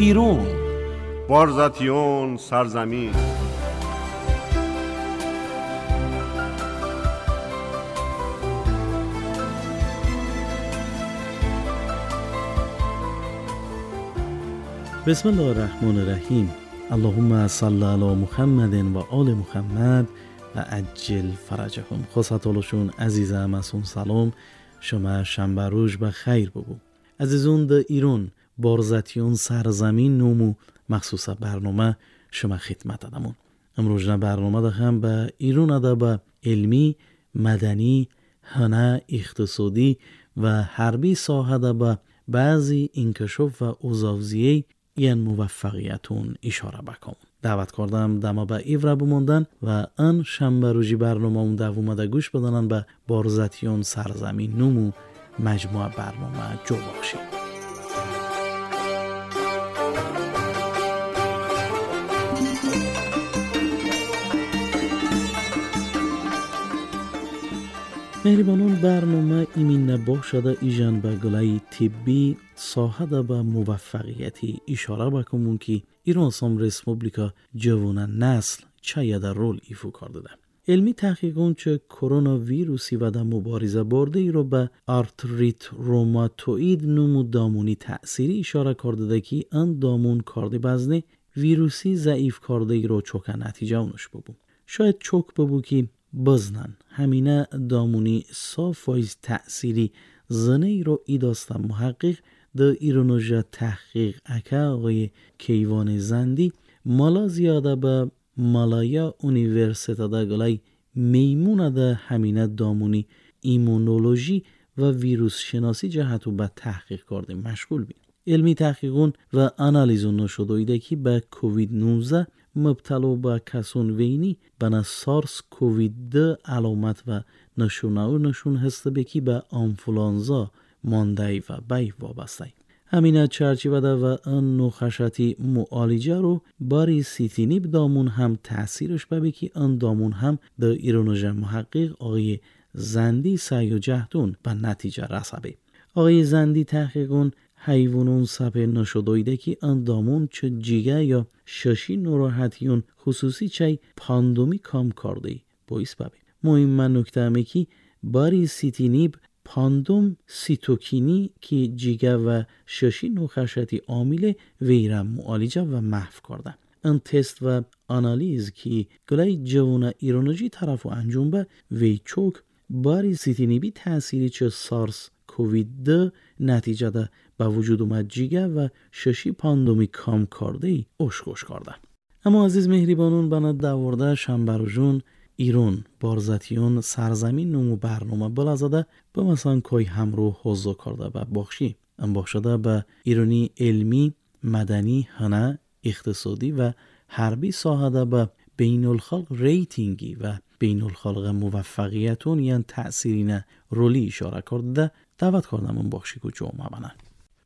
ایرون بارزاتیون سرزمین. بسم الله الرحمن الرحیم. اللهم صل علی محمد و آل محمد و عجل فرجهم. خواستالشون عزیزم اسون سلام، شما شنبه روز به خیر بگو. عزیزون ده ایران بارزتیون سرزمین نومو مخصوص برنامه شما خدمت دادمون. امروز نه برنامه ده هم به ایران ده به علمی، مدنی، هنر، اقتصادی و حربی ساحه ده به بعضی انکشاف و اوزاوزیه این موفقیتون اشاره بکن. دعوت کردم دما به ایوره بماندن و ان شنبه روزی برنامه اون دوم ده گوش بدنن به بارزتیون سرزمین نمو مجموعه برنامه جو بخشید. مهربانون برنامه ایمین نباشده ایجان به گلای طبی ساحه ده به موفقیتی اشاره بکنمون که ایران سام رسپوبلیکا جوان نسل چه در رول ایفو کرده ده. علمی تحقیقون چه کرونا ویروسی و در مبارزه برده ای رو به آرتریت روماتوئید نمو دامونی تأثیری اشاره کرده ده که ان دامون کرده بزنه ویروسی ضعیف کرده ای رو چوک نتیجه اونش ببو. شاید چوک ببو که بزنن همینه دامونی صافایز تأثیری زنه ای رو ایداستن محقق در ایرانوژه تحقیق اکه آقای کیوان زندی مالا زیاده به مالایا اونیورسیته ده گلای میمونه ده همینه دامونی ایمونولوژی و ویروس شناسی جهتو به تحقیق کرده مشغول بین. علمی تحقیقون و آنالیزون نشده که به کووید 19 مبتلا به کسون وینی بنا سارس کووید 2 علامت و نشونه و نشون هسته به که به آنفولانزا مانده و بی وابسته. همینه چرچیوه ده و ان نخشتی معالجه رو باری سیتینیب دامون هم تأثیرش به که ان دامون هم در ایرانوژه محقق آقای زندی سعی و جهدون به نتیجه رسبه. آقای زندی تحقیقون حیوانون سپه نشدویده که ان دامون چه جیگه یا ششی ناراحتیون خصوصی چه پاندومی کام کرده باعث ببه. مهم من نکته همه که باری سیتینیب پاندوم سیتوکینی که جیگه و ششی نخشتی عامل ویرم معالجه و محو کرده. ان تست و آنالیز که گلای جوان ایرانوژی طرف و انجام به وی چوک باری سیتینیبی تأثیری چه سارس کووید 2 نتیجه ده به وجود اومد جیگه و ششی پاندومی کام کرده ای اشکش کرده. اما عزیز مهریبانون بنا دورده شنبروژون ایرون بارزتیون سرزمین نمو برنامه بلا زده به مثلا کای همرو حضور کرده به باخشی. ام باخشده به ایرونی علمی، مدنی، هنر، اقتصادی و حربی ساحه به بین الخلق ریتینگی و بین الخلق موفقیتون یعنی تأثیرین رولی اشاره کرده دعوت کردم اون باخشی که جمعه بنن.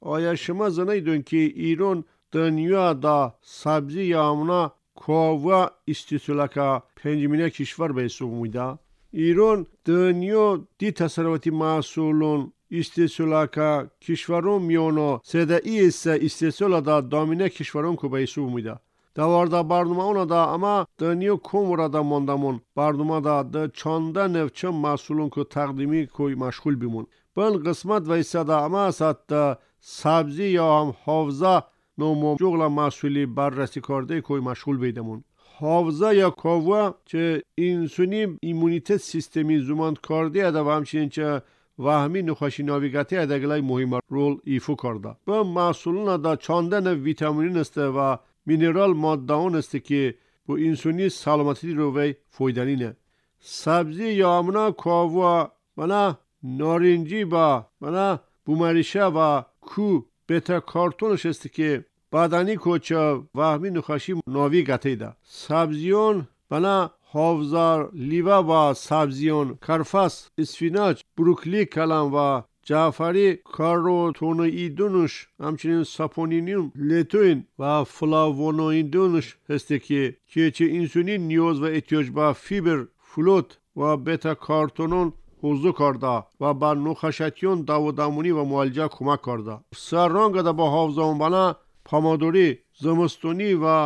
آیا شما زنیدون که ایران دنیا دا سبزی یامنا کووا استیصالکا پنجمینه کشور به حساب میده؟ ایران دنیا دی تصرفاتی محصولون استیصالکا کشورون میانو سده ای استیصال دا دامینه کشورون که به حساب میده. دوارda برنامه ona da ama دنیا کم da ماندمون برنامه da ده چنده نوچه محصولون که تقدیمی کوی مشغول بیمون. بن قسمت و ایسا اما سات سبزی یا هم حافظه نومو جغل محصولی بررسی کرده کوی مشغول بیدمون. حافظه یا کاوه چه اینسونی ایمونیته سیستمی زمان کرده اده و همچنین چه وهمی نخاشی ناویگاتی ادگلای مهم رول ایفو کرده. بن محصولون da چنده نو ویتامین است و mineral ماده اون است که با اینسونی سلامتی رو وی فایدنی نه. سبزی یا امنا کاوه بنا نارنجی با بنا بومریشه و کو بتا کارتونش است که بدنی کوچه وهمی نخاشی ناوی گتی ده. سبزیون بنا حافظار لیوه و سبزیون کرفس اسفیناج بروکلی کلم و جعفری کاروتونوئیدونش همچنین ساپونینیوم لتوین و فلاوونوئیدونش هسته که چه اینسولین نیاز و احتیاج به فیبر فلوت و بتا کارتونون حضور کرده و بر نخشتیون داودامونی و معالجه کمک کرده. سررنگ ده با حافظه بنا помодори зимистонӣ ва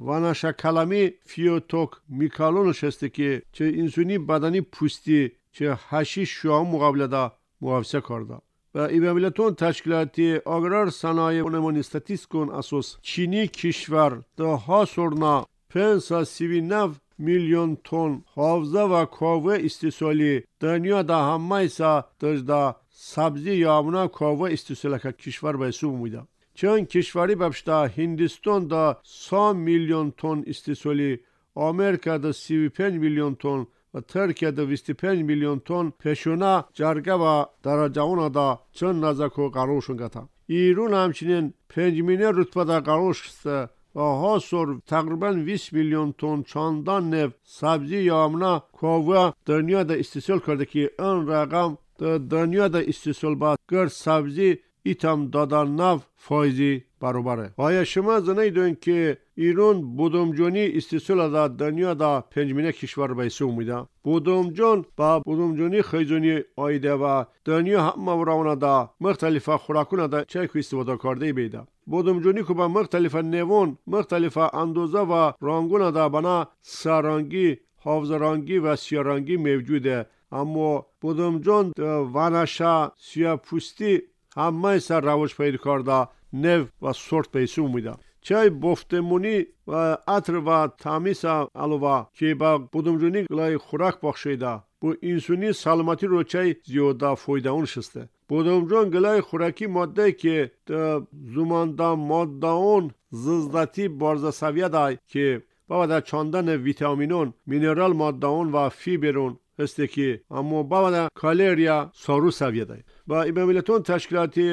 ванашакалами фиоток микалонш ҳасте ки че инсони бадани пӯстӣ че ҳашиш шуа муқобилада муҳофиза карда. و ایباملتون تشکیلاتی اگرار صنایع اونمون استاتیستیکون اساس چینی کشور ده ها سرنا 539 milyon ton havza ve kove istisoli dünyada hammaysa dajda sabzi yağmına kove istisoli kişvar besu muyda. Çin kişvari babşta Hindistan'da 100 milyon ton istisoli, Amerika'da 35 milyon ton و Türkiye'de 25 milyon ton peşuna jarga ve darajauna da çın nazako qaruşun qata. İran همچنین 5 میلیون رتبه قروش و ها تقریبا 20 میلیون تن چندان نو سبزی یامنا کوه دنیا da istisol کرده که این رقم دنیا da istisol با گر سبزی ایتام دادا نو فایزی برابره. آیا شما زنیدون که ایران بودمجونی استیصال دا دنیا دا پنجمینه کشور به حساب میده. بودمجون با بودمجونی خیزونی آیده و دنیا همه وراونه دا مختلف خوراکونه دا چه استفاده کرده بیده. بودمجونی که با مختلف نوون، مختلف اندازه و رنگونه دا بنا سرانگی، حافظ رنگی و سیارنگی موجوده. اما بودمجون ونشه سیاه پوستی همه سر روش پیدا کرده نو و سورت به حساب میده. چای бофтемонӣ ва атр ва таъмиса алова ки ба будумҷунӣ глай хӯрак бахшида бо инсони саломатиро чай зиёда фоидаон шисте. Будумҷон глай хӯракӣ моддае ки зуманда моддаон зиздати борзасавияда ки бавада чандан витаминон, минерал моддаон ва фиберон ҳасте ки аммо бавада калерия сору савияда. Ба ибамилатон ташкилоти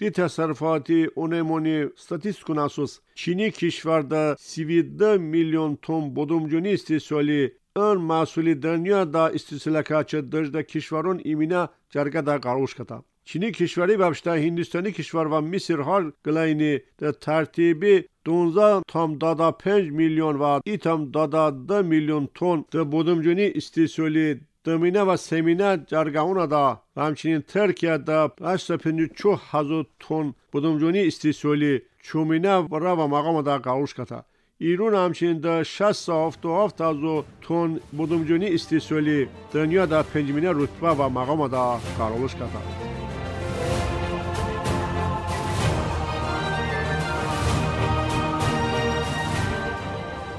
دی تصرفاتی اونمونی استاتیستیکون اساس چینی کشور دا 32 میلیون تن بودمجونی استیصالی این محصولی دنیا دا استیصال که دجدا کشورون ایمینا جرگه دا قروش کتا. چینی کشوری ببشتا هندستانی کشور و مصر هر گلاینی دا ترتیبی 12.5 میلیون و 8.2 میلیون تن دا بودمجونی استیصالی دمینه و سمینه جرگهونه دا و همچنین ترکیه دا 854 هزار تن بودمجونی استیصالی چومینه و را و مقام دا قروش کتا. ایران همچنین دا 677 هزار تن بودمجونی استیصالی دنیا دا پنجمینه رتبه و مقام دا قروش کتا.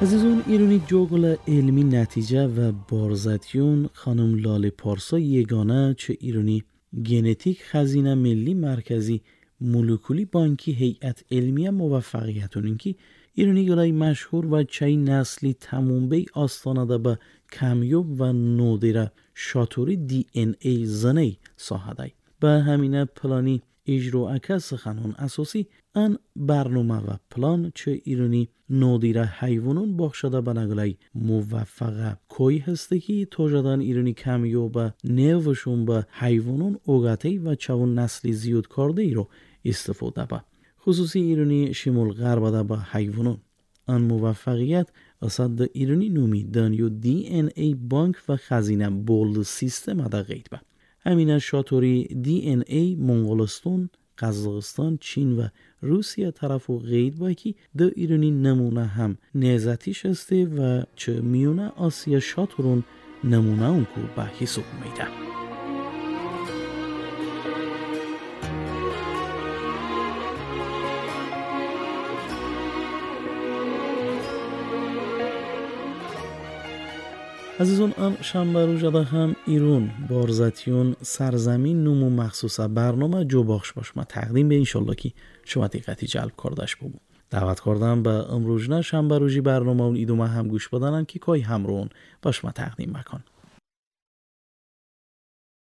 عزیزان ایرانی جوگل علمی نتیجه و بارزتیون خانم لاله پارسا یگانه چه ایرانی گنتیک خزینه ملی مرکزی مولکولی بانکی هیئت علمی موفقیتون اینکه ایرانی گلای مشهور و چای نسلی تموم بی آستانه ده به کمیوب و نودره شاتوری دی ان ای زنی ساحده. به همینه پلانی اجرا اکس خانون اساسی ان برنامه و پلان چه ایرانی نادیره حیوانون باخشده به نگلای موفقه کوی هسته که تاجدن ایرانی کمیو به نوشون به حیوانون اوگاتی و چون نسلی زیاد کرده ای رو استفاده به خصوصی ایرانی شمال غرب ده به حیوانون. آن موفقیت اسد ایرانی نومی دانیو دی ان ای بانک و خزینه بولد سیستم ده قید به همینه شاتوری دی ان ای مونگولستان، قزاقستان، چین و روسیه طرف و قید با که دو ایرانی نمونه هم نهضتی هسته و چه میونه آسیا شاتورون نمونه اون کو به حساب میده. عزیزان آن شنبه روزه هم ایرون بارزتیون سرزمین نمو مخصوصا برنامه جو باخش باش ما تقدیم به انشالله که شما دقتی جلب کردش ببو. دعوت کردم به امروز نه شنبه روزی برنامه اون ایدومه هم گوش بدنن که کای همرون باش ما تقدیم مکن.